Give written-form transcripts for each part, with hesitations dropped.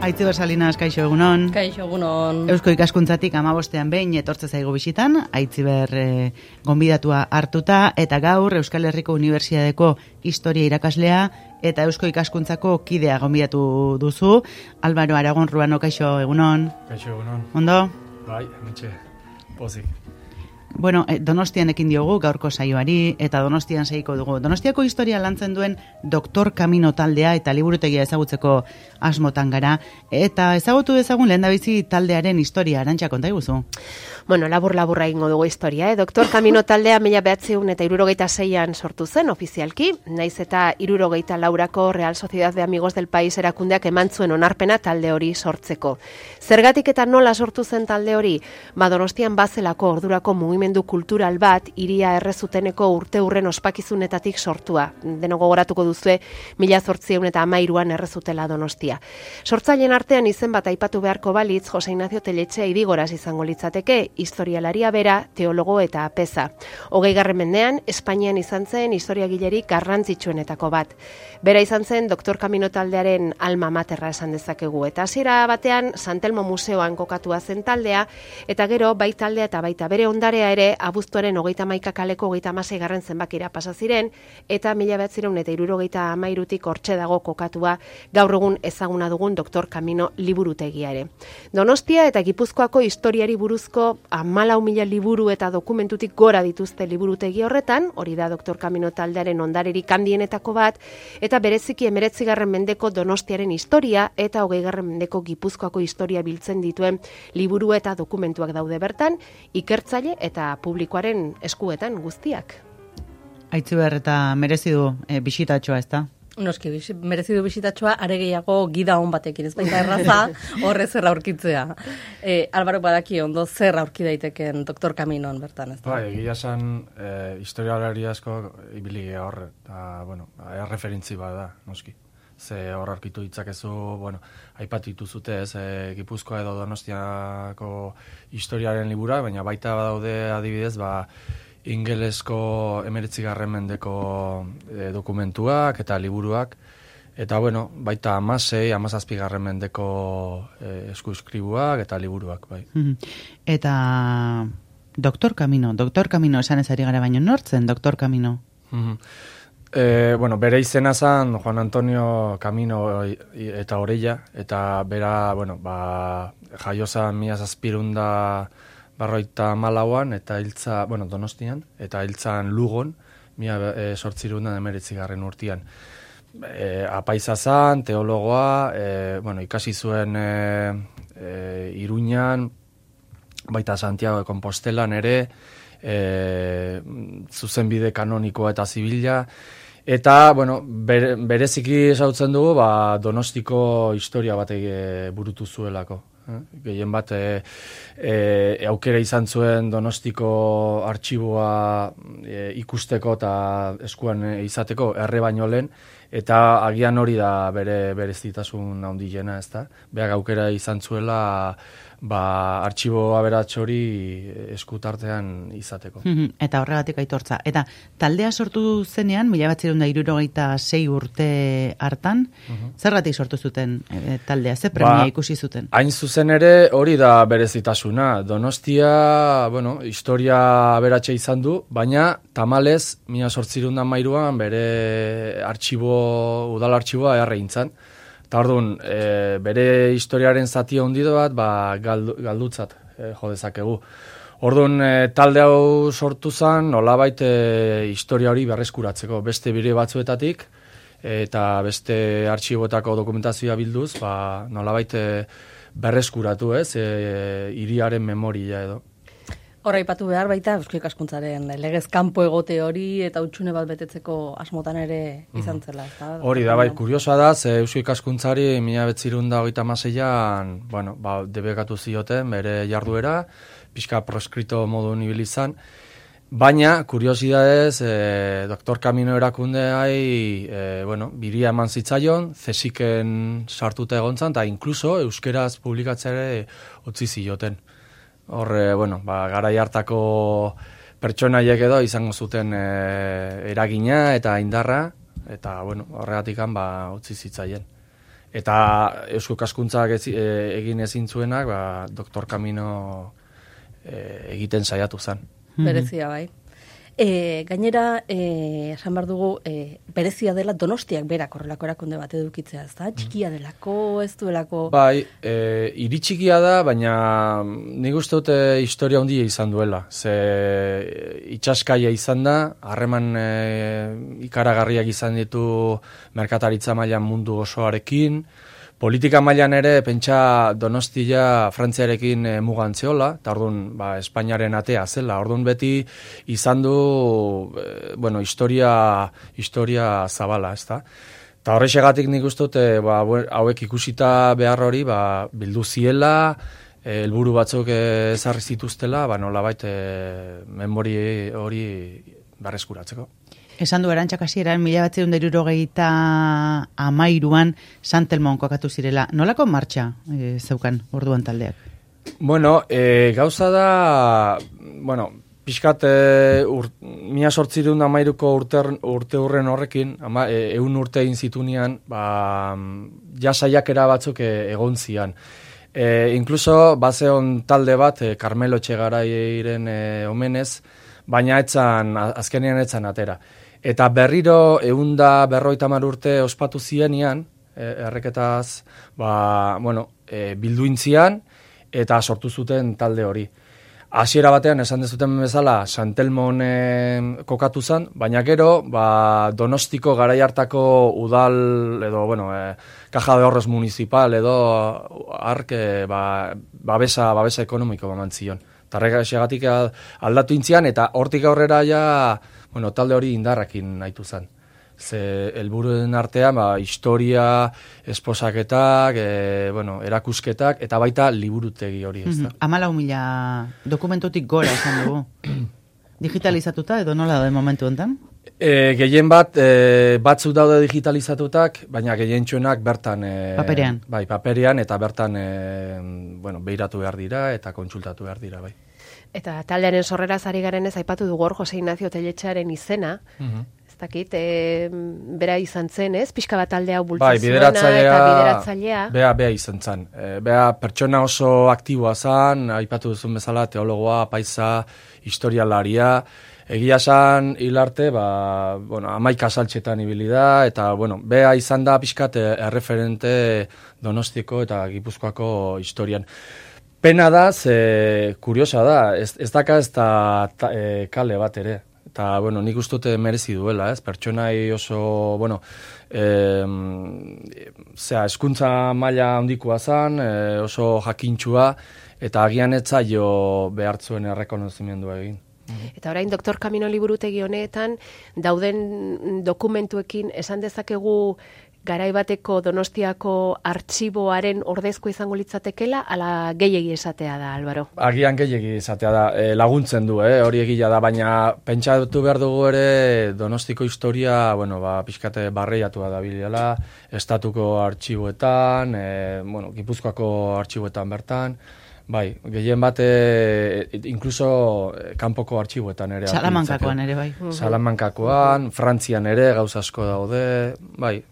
Aitziber Salinas, kaixo egunon. Kaixo egunon. Eusko ikaskuntzatik 15ean behin etortze zaigu bisitan, Aitziber gonbidatua hartuta, eta gaur Euskal Herriko Unibertsitateko historia irakaslea eta Eusko ikaskuntzako kidea gonbidatu duzu. Álvaro Aragon Ruano, kaixo egunon. Kaixo egunon. Ondo? Bai, hementxe, pozik. Bueno, Donostian ekin diogu gaurko saioari eta Donostian segiko dugu. Donostiako historia lantzen duen Doktor Kamino taldea eta liburutegia ezagutzeko asmotan gara. Eta ezagutu dezagun lehendabizi taldearen historia, Arantxa, konta iguzu? Bueno, laburra egingo dugu historia. Doktor Kamino taldea 1976an sortu zen ofizialki, naiz eta 74ko Real Sociedad de Amigos del País erakundeak eman zuen onarpena talde hori sortzeko. Zergatik eta nola sortu zen talde hori? Donostian bazelako ordurako mugimendu kultural bat hiria errezuteneko urte-urren ospakizunetatik sortua. Deno gogoratuko duzue 1813an errezutela Donostia. Sortzaileen artean izen bat aipatu beharko balitz, Jose Ignacio Telletxea Idigoras izango litzateke, historialaria bera, teologo eta apeza. 20. mendean, Espainian izan zen historiagilerik garrantzitsuenetako bat. Bera izan zen Doktor Kamino taldearen alma materra esan dezakegu. Eta hasiera batean, San Telmo museoan kokatua zen taldea, eta gero bai taldea eta baita bere ondarea ere abuztuaren 31 kaleko 36. zenbakira pasa ziren, eta 1973tik hortxe dago kokatua gaur egun ezaguna dugun Doktor Kamino liburutegia ere. Donostia eta Gipuzkoako historiari buruzko 14.000 liburu eta dokumentutik gora dituzte liburutegi horretan, hori da Doktor Kamino taldearen ondarerik handienetako bat, eta bereziki 19. mendeko Donostiaren historia eta 20. mendeko Gipuzkoako historia biltzen dituen liburu eta dokumentuak daude bertan, ikertzaile eta publikoaren eskuetan guztiak. Aitziber, eta merezi du bisitatxoa, ezta? Noski, merezi du bisitatxoa, are gehiago gida on batekin, ez baita erraza, horre zer aurkitzea. Álvaro badaki ondo zer aurki daiteken Doktor Kaminon bertan, ez da? Bai, egia esan, historialari asko ibili hor, eta, bueno, referentzi bada, noski. Ze hor aurkitu ditzakezu, bueno, aipatitu zute, ez, Gipuzkoa edo Donostiako historiaren libura, baina baita badaude adibidez, ingelesko 19. mendeko dokumentuak eta liburuak, eta bueno, baita 17. mendeko eskuskribuak eta liburuak, bai. Eta Doktor Kamino esan ez ari gara baino nortzen, Doktor Kamino? Bueno, bere izena zen Juan Antonio Kamino eta Orella, eta bera, bueno, jaio zen 1754an eta hiltza, bueno, Donostian, eta hiltzan Lugon, 1819 urtean. Apaiza zen, teologoa, bueno, ikasi zuen Iruñan, baita Santiago de Compostelan ere, zuzenbide kanonikoa eta zibila, eta, bueno, bereziki esautzen dugu, Donostiko historia bat burutu zuelako. Gehien bat aukera izan zuen Donostiko artxiboa ikusteko eta eskuan izateko erre baino lehen, eta agian hori da berezitasun handiena, ezta? Beak aukera izan zuela artxibo aberats hori eskutartean izateko. Eta horregatik aitortza. Eta taldea sortu zenean, 1976 urte hartan, zergatik sortu zuten taldea, ze premia ikusi zuten? Hain zuzen ere hori da berezitasuna. Donostia, bueno, historia aberatsa izan du, baina tamalez 1813an bere udal artxiboa erreintzan. Eta orduan, bere historiaren zati handido bat, galdutzat jo dezakegu. Orduan, talde hau sortu zen, nolabait historia hori berreskuratzeko. Beste bire batzuetatik, eta beste artxiboetako dokumentazioa bilduz, nolabait berreskuratu, ez, hiriaren memoria edo. Horra ipatu behar baita, Eusko Ikaskuntzaren legez kanpo egote hori eta hutsune bat betetzeko asmotan ere izan zela. Hori da, bai, kuriosoa da, ze Eusko Ikaskuntzari 1936an, bueno, debekatu zioten bere jarduera, pixka proskrito modu ibili izan, baina, kuriosidadez, Doktor Kamino erakundeai, bueno, biria eman zitzaion, zesiken sartuta egontzan, eta inkluso euskeraz publikatzea ere utzi zioten. Horre, bueno, garai hartako pertsonaiek edo izango zuten eragina eta indarra, eta, bueno, horregatikan utzi zitzaien. Eta Eusko Ikaskuntzak egin ezin zuenak, ba, Doktor Camino egiten saiatu zen. Berezia bai. Gainera, esan behar dugu, berezia dela Donostiak berak horrelako erakunde bat edukitzea, ez da? Txikia delako, ez duelako... Bai, hiri txikia da, baina nik uste dute historia handia izan duela. Ze itxaskaia izan da, harreman ikaragarriak izan ditu merkataritza mailan mundu osoarekin, politika mailan ere, pentsa Donostia Frantziarekin mugan zeola, eta orduan, Espainiaren atea zela. Orduan beti izan du, historia zabala, ez da? Eta horrexegatik nik uste dute, hauek ikusita behar hori, bildu ziela, helburu batzuk ezarri zituztela, nolabait memori hori berreskuratzeko. Esan du Arantxak hasieran 1973an San Telmon kokatu zirela. Nolako martxa zeukan orduan taldeak? Bueno, gauza da, pixkat 1813ko urte hurren horrekin, 100 urte egin zitunean, ja saiakera batzuk egon zian. Incluso bazeon talde bat, Carmelo Etxegarairen omenez, baina azkenean etzan atera. Eta berriro 150 urte ospatu zienean, erreketaz, bilduintzian, eta sortu zuten talde hori. Hasiera batean, esan dezuten bezala, San Telmon kokatu zen, baina gero, Donostiko garai hartako udal, edo, Caja de Ahorros Municipal, edo, babesa ekonomiko bamantzion. Tarrekaxegatik aldatu intzian, eta hortik aurrera talde hori indarrakin nahitu zen. Ze helburuen artean, historia, esposaketak, erakusketak, eta baita liburutegi hori, ez da. 14.000 dokumentutik gora esan dugu. Digitalizatuta edo nola da momentu enten? Gehien batzuk daude digitalizatutak, baina gehientsuenak bertan... Paperean. Bai, paperean, eta bertan behiratu behar dira, eta kontsultatu behar dira, bai. Eta taldearen sorreraz ari garenez aipatu dugu hor Jose Ignacio Telletxearen izena, ez dakit, bera izan zen, ez? Pixka bat talde hau bultzazuena eta bideratzailea. Bea izan zen. Bea pertsona oso aktiboa zen, aipatu duzun bezala, teologoa, paisa, historialaria, egia esan hilarte, 11 saltxetan ibili da, eta, bea izan da pixkat erreferente Donostiko eta Gipuzkoako historian. Pena da, kuriosa da, ez daka ez da kale bat ere. Eta, nik uste merezi duela, ez? Pertsonai oso, eskuntza maila handikoa zan, oso jakintxua, eta agian etzaio behartzuen errekonozimendua egin. Eta orain, Doktor Camino liburutegi honetan, dauden dokumentuekin esan dezakegu garai bateko Donostiako artxiboaren ordezko izango litzatekela, ala gehiegi esatea da, Álvaro? Agian gehiegi esatea da, laguntzen du, hori egia da, baina pentsatu behar dugu ere Donostiko historia, pixkate barreiatua da bilela, estatuko artxiboetan, Gipuzkoako artxiboetan bertan, bai, gehien bat, inkluso kanpoko artxiboetan ere. Salamankakoan ere, bai. Salamankakoan, Frantzian ere, gauza asko daude, bai.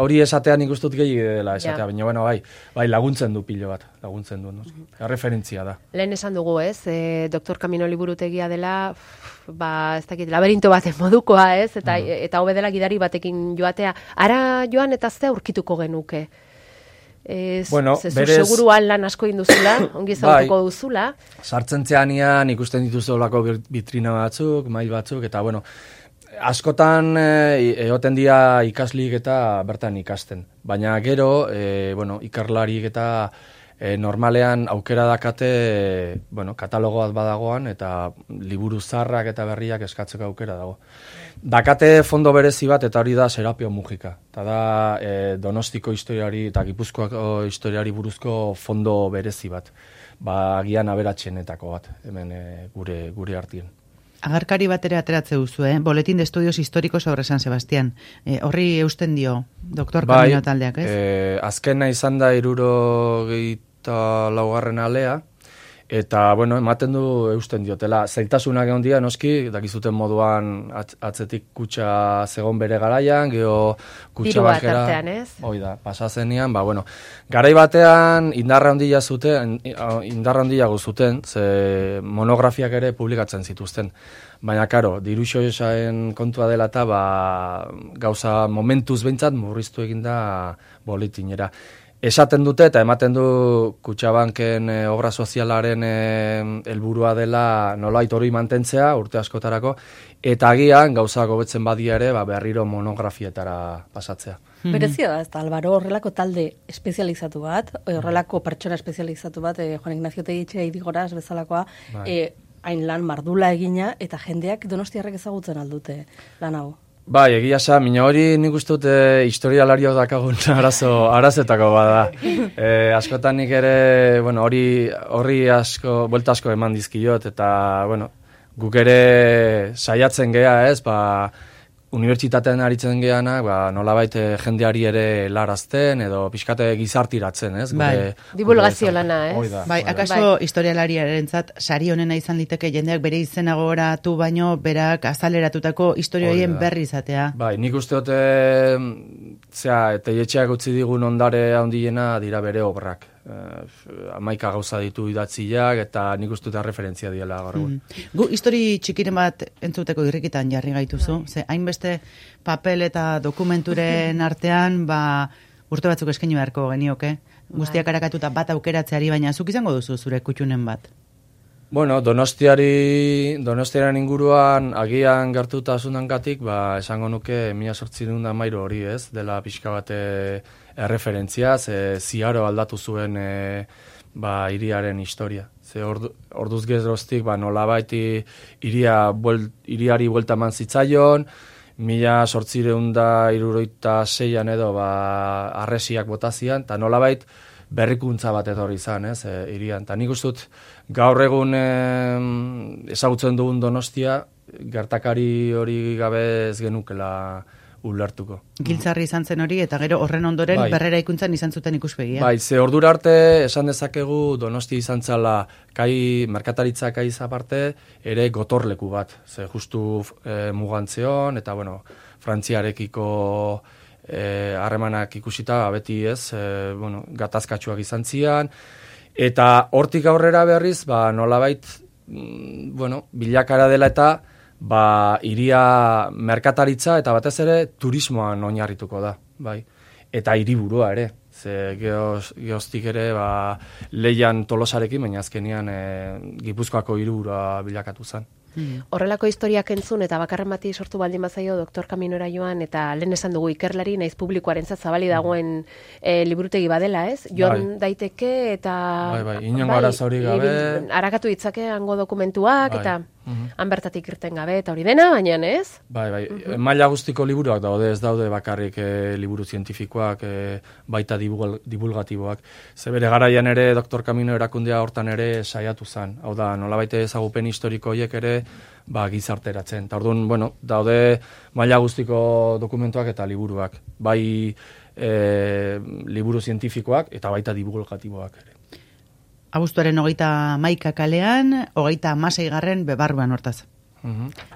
Hori esatea nik ustut gehiago dela esatea, baina bai, laguntzen du pilo bat, laguntzen du, referentzia da. Lehen esan dugu, ez, Doktor Camino liburutegia dela, ez dakit, laberinto baten modukoa, ez, eta hobe dela gidari batekin joatea. Ara joan eta ze aurkituko genuke? Seguruan lan asko induzula, ongi zautuko duzula. Sartzen zeanian ikusten dituzu olako vitrina batzuk, mail batzuk, eta askotan egoten dira ikaslik eta bertan ikasten. Baina gero, ikerlarik eta normalean aukera dakate, katalogoat badagoan, eta liburu zarrak eta berriak eskatzeko aukera dago. Dakate fondo berezi bat, eta hori da Serapio Mujika. Eta da Donostiko historiari eta Gipuzkoako historiari buruzko fondo berezi bat. Agian aberatsenetako bat, hemen gure artien. Agarkari bat ere ateratze duzu, Boletín de Estudios Históricos sobre San Sebastián. Horri eusten dio, Doktor Camino taldeak, ez? Azkena izan da 74. alea, Eta, bueno, ematen du eusten diotela. Zailtasunak egon dira, noski, dakizuten moduan atzetik kutxa zegon bere garaian, geho kutxa bakera... Dirua tartean, ez? Hoi da, pasazenean, bueno, garai batean indarra handia zuten, ze monografiak ere publikatzen zituzten. Baina, karo, diru xoesaren kontua dela eta, gauza momentuz behintzat murriztu eginda boletinera. Esaten dute eta ematen du Kutxabanken obra sozialaren helburua dela nolait hori mantentzea urte askotarako, eta agian gauza hobetzen badia ere berriro monografietara pasatzea. Berezia da, ez da, Albaro, horrelako talde espezializatu bat, horrelako pertsona espezializatu bat, Juan Ignacio Teitxe Idigoraz bezalakoa, hain lan mardula egina, eta jendeak donostiarrek ezagutzen aldute lan hau. Bai, egia sa, mina hori nik uste dut historialariok dakagun arazetako bada. Askotan nik ere, bueno, horri asko, buelta asko eman dizkiot, eta, bueno, guk ere saiatzen gea, ez, unibertsitatean aritzen geana, nolabait jendeari ere larazten, edo pixkate gizartiratzen, ez? Bai, divulgazio lana, ez? Bai, akaso historialariarentzat sari honena izan liteke jendeak bere izena gogoratu baino, berak azaleratutako historioien berri izatea. Bai, nik uste dute, Teietxeak utzi digun ondare handiena dira bere obrak. 11 gauza ditu idatziak, eta nik uste dute referentzia diela gaur egun. Gu histori txikiren bat entzuteko irrikitan jarri gaituzu, ze hainbeste papel eta dokumenturen artean, urte batzuk eskaini beharko genioke, guztiak arakatuta bat aukeratzeari, baina zuk izango duzu zure kutxunen bat? Bueno, Donostiaren inguruan agian gertutasunangatik, esango nuke 1813 hori, ez, dela pixka bate erreferentzia, ziaro aldatu zuen hiriaren historia. Ze orduz geroztik nolabait hiriari buelta eman zitzaion, 1876an edo arresiak botazian, eta nolabait berrikuntza bat etorri izan, ez, hirian. Ta nik uste dut gaur egun ezagutzen dugun Donostia, gertakari hori gabe ez genukela ulertuko. Giltzarri izan zen hori, eta gero horren ondoren berrera ikuntzan izan zuten ikuspegia. Bai, ze ordura arte esan dezakegu Donostia izan zala merkataritza kai aparte, ere gotorleku bat. Ze justu mugantzeon, eta bueno, Frantziarekiko harremanak ikusita, beti ez, gatazkatsuak izan zian, eta hortik aurrera berriz, nolabait, bilakara dela eta, hiria merkataritza eta batez ere turismoan oinarrituko da, bai. Eta hiriburua ere, ze geoztik ere Leian Tolosarekin, baina azkenian Gipuzkoako hiriburua bilakatu zen. Horrelako historiak entzun eta bakarren bati sortu baldin bazaio Doktor Kaminora joan, eta lehen esan dugu ikerlari naiz publikoarentzat zabali dagoen liburutegi badela, ez? Joan daiteke eta inongo arazo hori gabe arakatu ditzake hango dokumentuak eta han bertatik irten gabe eta hori dena, baina ez? Bai, maila guztiko liburuak daude, ez daude bakarrik liburu zientifikoak, baita divulgatiboak. Ze bere garaian ere Doktor Kamino erakundea hortan ere saiatu zen. Hau da, nolabait ezagupen historiko horiek ere gizarteratzen. Eta orduan, daude maila guztiko dokumentuak eta liburuak. Bai liburu zientifikoak eta baita divulgatiboak ere. Abuztuaren 31 kalean, 36 bebarruan hortaz.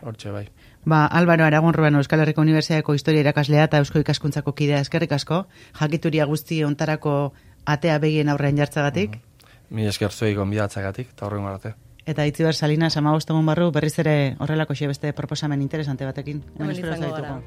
Hortxe, bai. Álvaro Aragon Ruano, Euskal Herriko Unibertsitateko historia irakaslea eta Eusko Ikaskuntzako kidea, eskerrik asko, jakituria guzti ontarako atea begien aurrean jartzagatik. Mi esker zuei gonbidatzagatik, eta horrengo arte. Eta Itziber Salinas 15 egun barru berriz ere horrelako beste proposamen interesante batekin. Hemen izango gara.